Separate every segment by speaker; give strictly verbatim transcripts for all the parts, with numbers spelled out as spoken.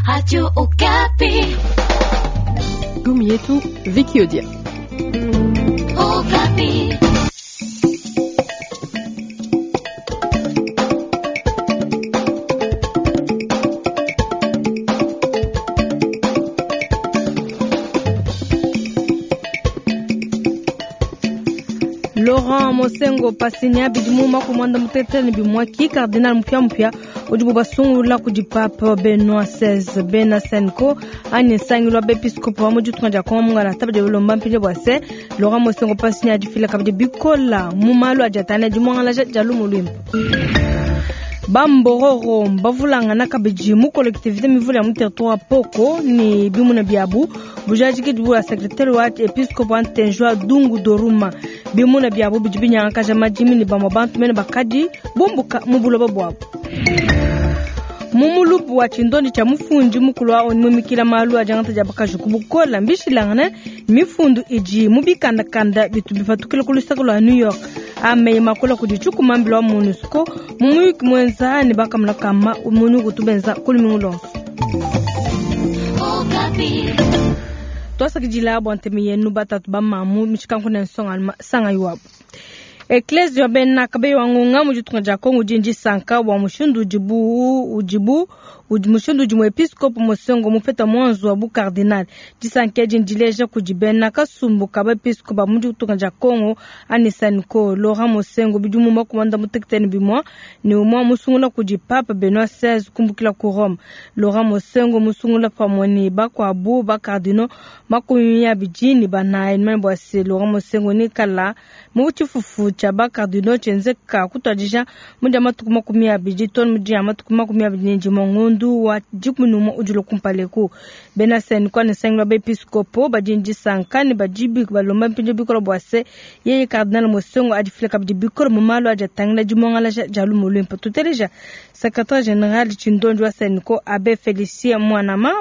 Speaker 1: Radio Okapi.
Speaker 2: Gumi yetu Vicky Odia.
Speaker 1: Okapi.
Speaker 3: Laurent Mosengo Pasinya bidimu makumi muanda mutekete ne bimwaki cardinal mupia mupia udibu basungula kudi Pape Benoit seize bena Senko anyi nsangilu wa bepiskopo wa mu ditunga dia Kongo mungala tabadi ulomba mpindieu bua se Laurent Mosengo Pasinya adifila kabidi bikola mu malu adi atangila dimuangalaja dia lumu luimpe. Bambororo mbavulangana kabidi mu collectivité mivule ya mu territoire Poko ne bimuna biabu bujadiki bua secrétaire wa episcope wa Ntenjwa Dungu Doruma bimuna biabu bidi binyangakaja madimi ne bamwe bantu mene bakadi bumbuka mu buloba buabu. Mu mulubu wa tshindondi tshia mufundi mukulu wa ONU mumikila malu a diangata dia bakaji ku bukola mbishilangane mifundu idi mu bikandakanda bitu bipatukila ku luseke lua New York ameyi makola kudi tshikumambila wa MONUSCO mu muyuki muenza ne bakamuna kama munu kutubenza kulumingu lonso.
Speaker 1: Okapi.
Speaker 3: Twasakidila bua ntemi yenu batatu ba mamu mishikanku ne nsonga sanga yuabu. Eklezia wa bena kabe wa ngonga mu ditunga dia Kongo udi ndisanka bua mushindu udibu udibu udi mushindu udi muepiskopo Mosengo mupeta mwanzu wa bu cardinal. Disanka edi ndileja kudi bena kasumbu ka bepiskopo ba mu ditunga dia Kongo ani Sanko Laurent Mosengo bidimu makumi muanda mutekete ne bimua ne umua musungula kudi Pape Benoit seize kumbukila ku Rome. Laurent Mosengo musungula pamue ne bakuabu ba cardinaux makumi abidi ne banayi mane bua se Laurent Mosengo ne kala mu tshifufu tshia ba cardinaux tshienzeka kutuadija mu dia matuku makumi abidi to mu dia matuku makumi abidi ne dimue ngondu wa dikumi ne umue udi kumpaleku. Bena Senko ne nsangilu wa bepiskopo badi ndisanka ne badi balomba mpindieu bikole bua se yeye cardinal Mosengo adifila kabidi bikole mu malu adi atangila dimuangalaja dia lumu luimpe. Tuteleja secrétaire général Tshindonji wa Senko Abbé Félicien Mwanama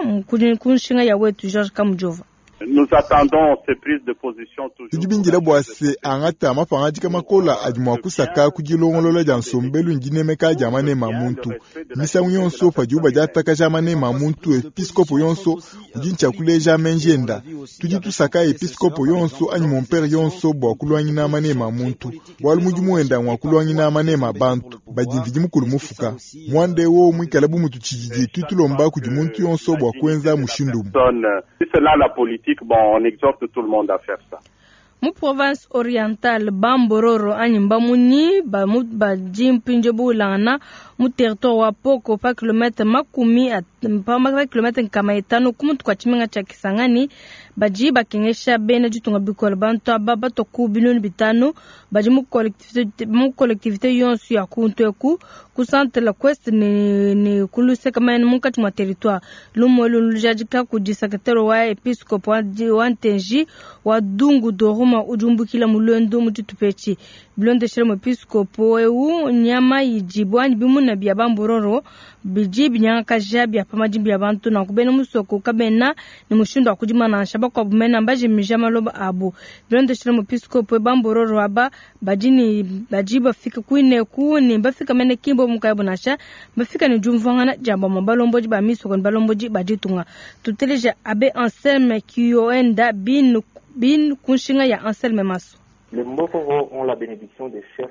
Speaker 3: ku nshinga ya wetu Georges Kamujova.
Speaker 4: Nous attendons ces prises de position toujours.
Speaker 5: Tudi bindila bua se angata mapangadika makola adi mua kusaka ku dilongolola dia nsombelu ndinemeka dia manema a muntu. Misangu yonso padibu badiatakaja manema a muntu, episkopo yonso udi ntshia kuleja menji enda. Tudi tusaka episkopo yonso anyi mompere yonso bua kuluangina manema a muntu, bualu mudimu wenda ngua kuluangina manema a bantu badi Mvidi Mukulu mufuka. Muanda ewu muikale bu mutu tshididi tutulomba kudi muntu yonso bua kuenza mushindu umue.
Speaker 4: Si c'est là la politique, bon, on exhorte tout le monde à faire ça.
Speaker 3: Mu province orientale Bambororo anyi Mbamunyi badi mpindieu bulangana mu territoire wa Poko pa kilomètre makumi pa kilomètre nkama itanu ku mutu kua tshimenga tshia Kisangani badi bakengesha bena ditunga bikole. Bantu aba batua ku binunu bitanu badi mu collectivité mu collectivité yonso ya kuntu eku ku centre la Quest ne ne ku luseka mene munkatshi mua territoire. Lumu elu lujadika kudi secrétaire wa episcope wa Ntenji wa Dungu Doruma udi umbukila mu lwendo mu tshitupa etshi. Bilondeshele muepiskopo eu nyama idi anyi bimuna bia Bambororo bidi binyangakaja bia pa madimbi ya bantu nanku bena musoko kabena ne mushindu wa kudima nansha bakuabu mena mbajimija maloba abu. Bilondeshele muepiskopo Bambororo aba badi ne badi bafika kuineku ne bafika mene kimbo mukayabu nansha bafika ne diumvuangana dia bamue balombodi ba misoko ne balombodi ba ditunga. Tuteleja Abbé Anselme Kioenda bin bin kunshinga ya Anselme Maso.
Speaker 6: Les Mbororo ont la bénédiction des chefs.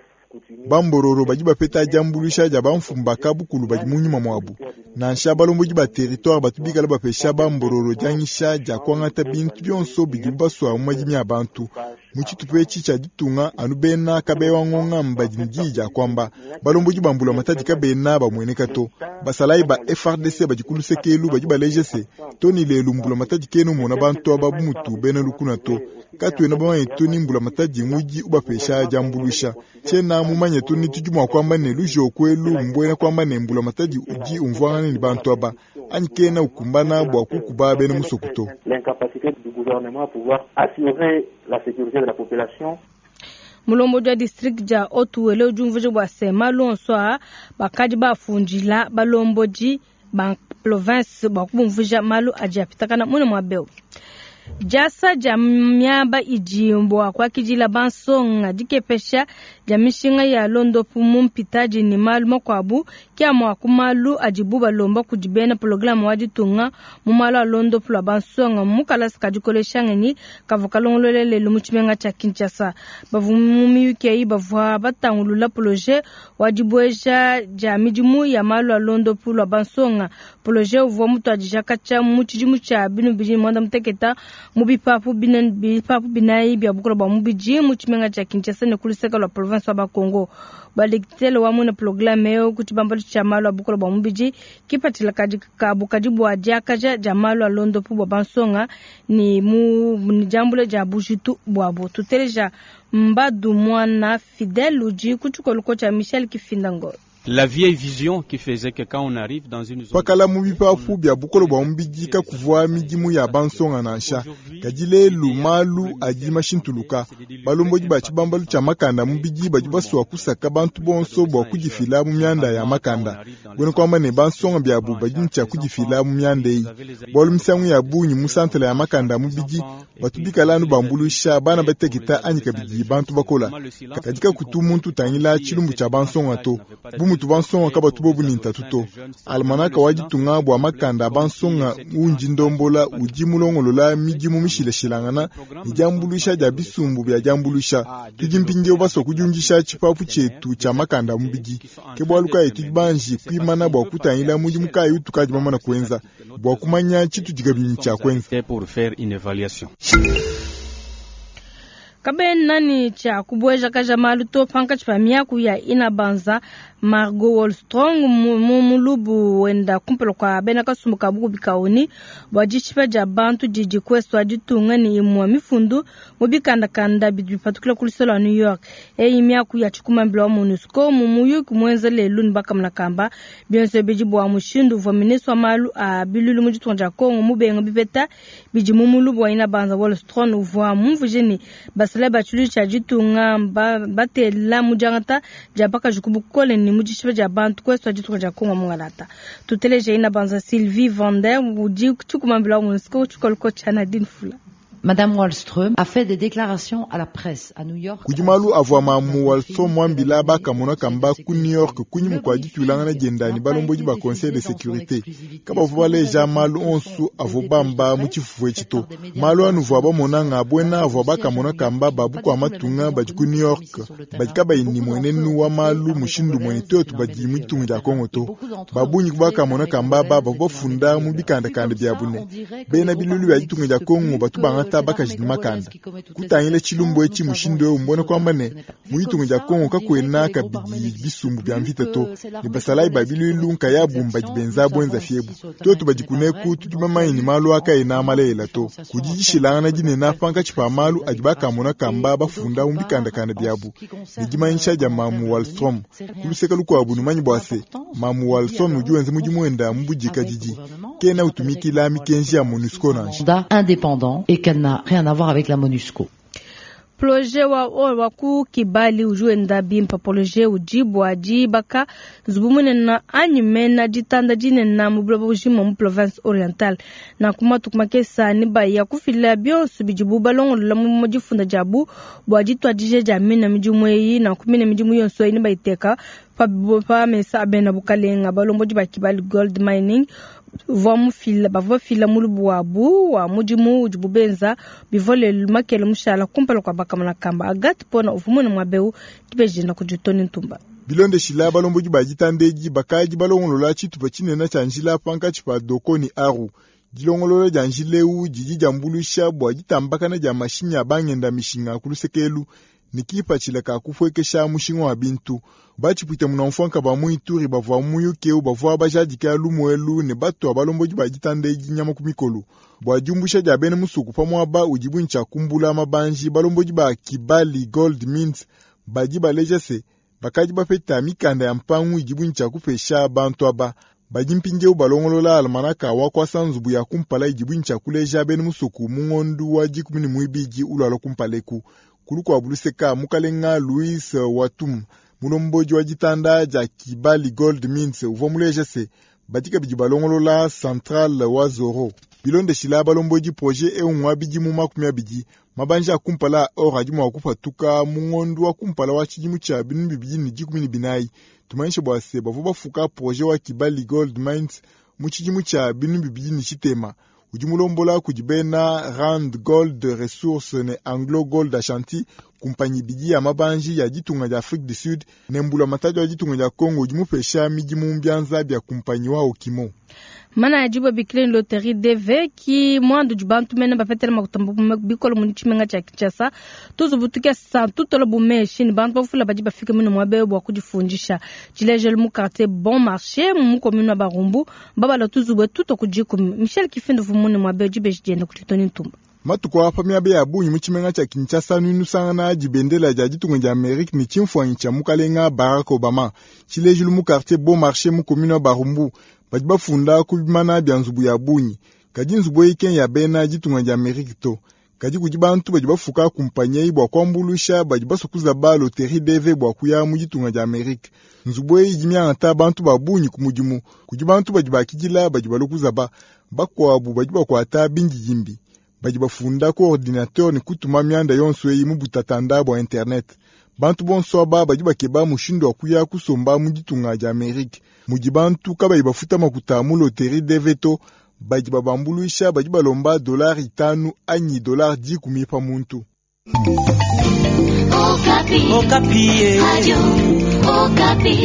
Speaker 5: Bambororo badi bapeta diambuluisha dia bamfumu ba kabukulu badi mu nyuma muabu. Nansha balombodi ba territoire batu bikala bapesha Bambororo dianyisha dia kuangata bintu bionso bidibu basua mu madimi a bantu. Mu tshitupa etshi tshia ditunga anu bena kabewa ngonga mbadi ne diyi dia kuamba balombodi ba mbula matadi kabena bamueneka to. Basalayi ba F R D C badi ku luseke elu badi baleje se to ni lelu mbula matadi kenu mona bantu aba bu mutu bena lukuna to. Katuena bamanye to ni mbula matadi ngudi ubapesha diambuluisha. Tshiena mumanye to ni tudi mua kuamba ne lujoku elu mbuena kuamba ne mbula matadi udi umvuangana ne bantu aba anyi kena ukumbana bua kukuba bena musoko to.
Speaker 6: L'incapacité du gouvernement à pouvoir assurer la sécurité de la population.
Speaker 3: Mulombodi wa district dia Otuwele udi umvuija bua se malu onso aa bakadi bafundila balombodi ba province bua kubumvuija malu adi apitakana mune mua beu. Diasa dia miaba idi bua kuakidila bansonga, dikepesha dia mishinga ya londopu mu mpitadi ne malu makuabu ke amue a ku malu adibu balomba kudi bena programme wa ditunga mu malu a londopu lua bansonga mu kalasa ka dikolesha ngenyi kavua kalongolola lelu mu tshimenga tshia Kinshasa. Bavua mu miyuki eyi bavua batangulula projet wa dibueja dia midimu ya malu a londopu lua bansonga. Projet uvua mutuadija katshia mu tshidimu tshia binu bibidi ne muanda mutekete mu bipapu bine bipapu binayi bia bukole bua mubidi mu tshimenga tshia Kinshasa ne ku luseke lua province wa Bakongo. Balektele wa muena programme eu ku tshibambalu tshia malu a bukole bua mubidi kipatshila kadi kabu kadi bua diakaja dia malu a londopu bua bansonga ne mu ne diambula dia bujitu buabu. Tuteleja Mbadu Mwana Fidel udi ku tshikoluko tshia Michel Kifindango.
Speaker 7: La vieille vision qui faisait que quand on arrive dans une zone
Speaker 5: Pakala mu bipapu bia bukole bua mubidi kakuvua midimu ya bansonga nansha. Kadi lelu malu adi mashintuluka. Balombodi ba tshibambalu tshia makanda mubidi badi basua kusaka bantu bonso bua kudifila mu mianda ya makanda. Buena kuamba ne bansonga biabu badi ne tshia kudifila mu mianda eyi. Bualu misangu ya bungi mu santala ya makanda mubidi batu bikala anu bambuluisha bana bateketa anyi kabidi bantu bakola. Kadi kakutu muntu utangila tshilumbu tshia bansonga to. Bu mutu bansonga kabatu bobu ne ntatu to. Almanaka wa ditunga bua makanda a bansonga undi ndombola udi mulongolola midimu mishilashilangana ne diambuluisha dia bisumbu bia diambuluisha. Tudi mpindieu basua kudiundisha tshipapu tshietu tshia makanda a mubidi. Ke bualu kayi tudi banji kuimana bua kutangila mudimu kayi utukadi bamana kuenza bua kumanya tshitudi kabidi tshia kuenza.
Speaker 7: Pour faire une évaluation.
Speaker 3: Kabena ni tshia kubueja kaja malu to pankatshi pa miaku ya inabanza Margot Wallström mu mulubu wenda kumpala kua bena kasumbu ka bukubi ka O N U bua dishipa dia bantu didi kuesu ditunga ne imue mifundu mu bikandakanda bidi bipatukila ku luseke lua New York. Eyi miaku ya tshikumambila wa MONUSCO mu muyuki muenza lelu ne bakamona kamba bionso bidi bua mushindu uvua ministre wa malu a bilulu mu ditunga dia Congo mubenga bipeta bidi mu mulubu wa inabanza Wallström uvua mumvuje ne basalayi ba tshiluilu tshia ditunga batela mu diangata dia bakaji ku bukole ne mu dishipa dia bantu kuesu ditunga dia Congo mungalata. Tuteleje inabanza Sylvie Vander udi tshikumambila wa MONUSCO tshikoluko tshia Nadine Fula.
Speaker 8: Madame Wallström a fait des déclarations à la presse à New York.
Speaker 5: Kudi malu avua mamu Wallström mwambila bakamona kamba ku New York kunyima kua ditulangana dienda ne balombodi ba Conseil de sécurité. Kabavua baleja malu onso avua bamba mu tshifufu etshi to. Malu anuvua bamonanga abuena avua bakamona kamba ba bukua matunga badi ku New York badi kabayi ne muenenu wa malu mushindu muene tuetu badi mu ditunga dia Kongo to. Babungi ku bakamona kamba aba bavua bafunda mu bikandakanda biabu ne bena bilulu bia ditunga dia Kongo batu bangata bakaji ne makanda. Kutangila tshilumbu etshi mushindu eu mbona kwamba ne mu ditunga dia Kongo kakuena kabidi bisumbu bia mvita to ne basalayi ba bilulu nkayabu mbadi benza bwenza fiebu. Tuetu badi kuneku tudi bamanye ne malu akaena malelela to. Kudi dishilangana dinene pankatshi pa malu adi bakamona kamba bafunda mu bikandakanda biabu ne dimanyisha dia mamu Wallström. Ku luseke lukuabu numanyi bua se mamu Wallström udi wenza mudimu wenda mu budikadidi kena utumikila mikenji ya MONUSCO nansha.
Speaker 8: Indépendant et qu'elle n'a rien à voir avec la MONUSCO.
Speaker 3: Projet wa wa ku Kibali udi wenda bimpa. Projet udi bua dibaka nzubu munene anyi mena ditanda dinene mu buloba bujima mu province orientale. Nanku matuku makesa ne baya kufila bionso bidibu balongolola mu difunda diabu bua dituadija dia mina midimu eyi. Nanku mina midimu yonso eyi ne bayiteka pa, pa mesa a bena bukalenga. Balombodi ba Kibali Gold Mining bavua mufila bavua bafila mulubu wabu wa mudimu udibu benza bivua lelu makele mushala kumpala kua bakamona kamba. Agathe Pona uvua muene muaba tubejenda kudi Tony Ntumba.
Speaker 5: Bilondeshila balombodi ba ditanda edi bakadi balongolola tshitupa tshinene tshia njila pankatshi pa Doko ne Aru. Dilongolola dia njila eu didi diambuluisha bua ditambakana dia mashinyi a bangenda mishinga ku luseke ne kipatshila ka kupuekesha mushinga wa bintu. Batshipwita munamfuanka ba mu Ituri bavua muyuki eu bavua bajadika lumuelu ne batua balombodi ba ditanda edi nyama ku mikolo bua diumbusha dia bena musuku pa muaba udibu ne tshia kumbula mabanji. Balombodi ba Kibali Gold Mines badi baleja se bakadi bapeta mikanda ya mpangu idibu ne tshia kupesha bantu aba. Badi mpindieu balongolola almanaka wa kuasa nzubu ya kumpala idibu ne tshia kuleja bena musuku mu ngondu wa dikumi ne muibidi ulwala kumpala eku. Kulukuabu luseka mukalenga Louis Watum mulombodi wa ditanda dia Kibali Gold Mines uvua muleja se badi kabidi balongolola centrale wa Zoro. Bilondeshila balombodi projet eu ngwa bidimu makumi abidi. Mabanji a kumpala a or adi mua kupatuka mu ngondu wa kumpala wa tshidimu tshia binunu bibidi ne dikumi ne binayi. Tumanyishe bua se bavua bafuka projet wa Kibali Gold Mines mu tshidimu tshia binunu bibidi ne tshitema. Udi mulombola kudi bena Rand Gold Resources ne Anglo Gold Ashanti, kumpanyi ibidi ya mabanji ya ditunga dia Afrique du Sud ne mbulamatadi wa ditunga dia Congo udi mupesha midimu mbianza bia kumpanyi wa Okimo.
Speaker 3: Mana ya dibwa bikile loterie D V ki mwandu di bantu mene bapetela makuta bikolo mu tshimenga tshia Kinshasa. Tuzubu tukesa tutola bumeshi ne bantu bafula badi bafika mino muaba bua kudifundisha. Tshilejelu mu quartier Bon Marché mu commune wa Barumbu babala tuzubu tuto ku dikumi. Michel Kifindu vumune muaba dibeji dienda ku Tony Ntumba.
Speaker 5: Matuku apa miaba ya bungi mu tshimenga tshia Kinshasa nunusangana dibendela dia ditunga dia Amerika ne tshimfuanyi tshia mukalenga Barack Obama. Tshilejelu mu quartier Bon Marché mu commune wa Barumbu badi bafunda ku bimana bia nzubu ya bungi, kadi nzubu eyi ke ya bena ditunga dia Amerika to, kadi kudi bantu badi bafuka kumpanyi eyi bua kuambuluisha badi basua kuzaba loterie D V bua kuya mu ditunga dia Amerika. Nzubu eyi idi miangata bantu ba bungi ku mudimu. Kudi bantu badi bakidila badi balua kuzaba, bakuabu badi bakuata bindidimbi badi bafunda ku ordinateur ne kutuma mianda yonso eyi mu butatanda bua internet. Bantu bonso aba badi bakeba mushindu wa kuya kusomba mu ditunga dia Amerika mudi bantu kabayi bafuta makuta mu loterie D V to. Badi babambuluisha badi balomba dolari itanu anyi dolari dikumi pa muntu.
Speaker 1: Okapi.
Speaker 9: Okapi.
Speaker 1: Radio Okapi.